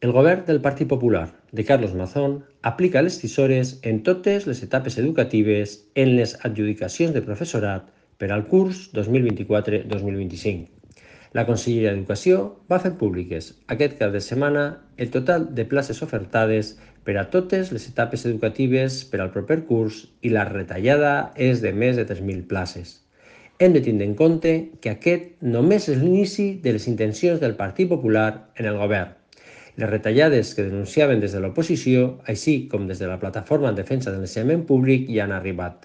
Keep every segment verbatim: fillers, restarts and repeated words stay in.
El govern del Partit Popular de Carlos Mazón aplica les tisores en totes les etapes educatives en les adjudicacions de professorat per al curs dos mil vint-i-quatre dos mil vint-i-cinc. La Conselleria d'Educació va fer públiques aquest cap de setmana el total de places ofertades per a totes les etapes educatives per al proper curs i la retallada és de més de tres mil places. Hem de tindre en compte que aquest només és l'inici de les intencions del Partit Popular en el govern. Les retallades que denunciaven des de l'oposició, així com des de la plataforma en defensa de l'ensenyament públic, ja han arribat.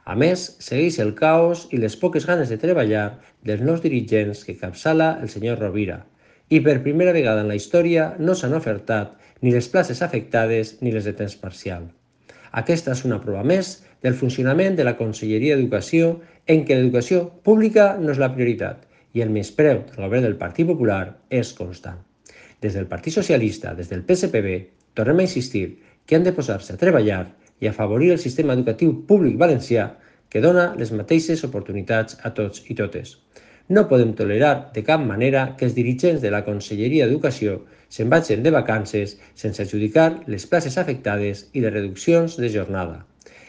A més, segueix el caos i les poques ganes de treballar dels nous dirigents que capçala el senyor Rovira. I per primera vegada en la història no s'han ofertat ni les places afectades ni les de temps parcial. Aquesta és una prova més del funcionament de la Conselleria d'Educació en què l'educació pública no és la prioritat i el menyspreu del govern del Partit Popular és constant. Des del Partit Socialista, des del P S P B, tornem a insistir que han de posar-se a treballar i afavorir el sistema educatiu públic valencià que dona les mateixes oportunitats a tots i totes. No podem tolerar de cap manera que els dirigents de la Conselleria d'Educació se'n vagin de vacances sense adjudicar les places afectades i les reduccions de jornada.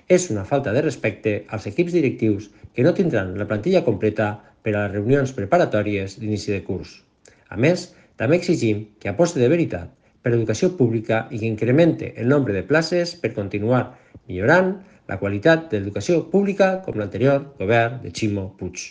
És una falta de respecte als equips directius que no tindran la plantilla completa per a les reunions preparatòries d'inici de curs. A més, també exigim que aposti de veritat per l'educació pública i que incremente el nombre de places per continuar millorant la qualitat de l'educació pública com l'anterior govern de Ximo Puig.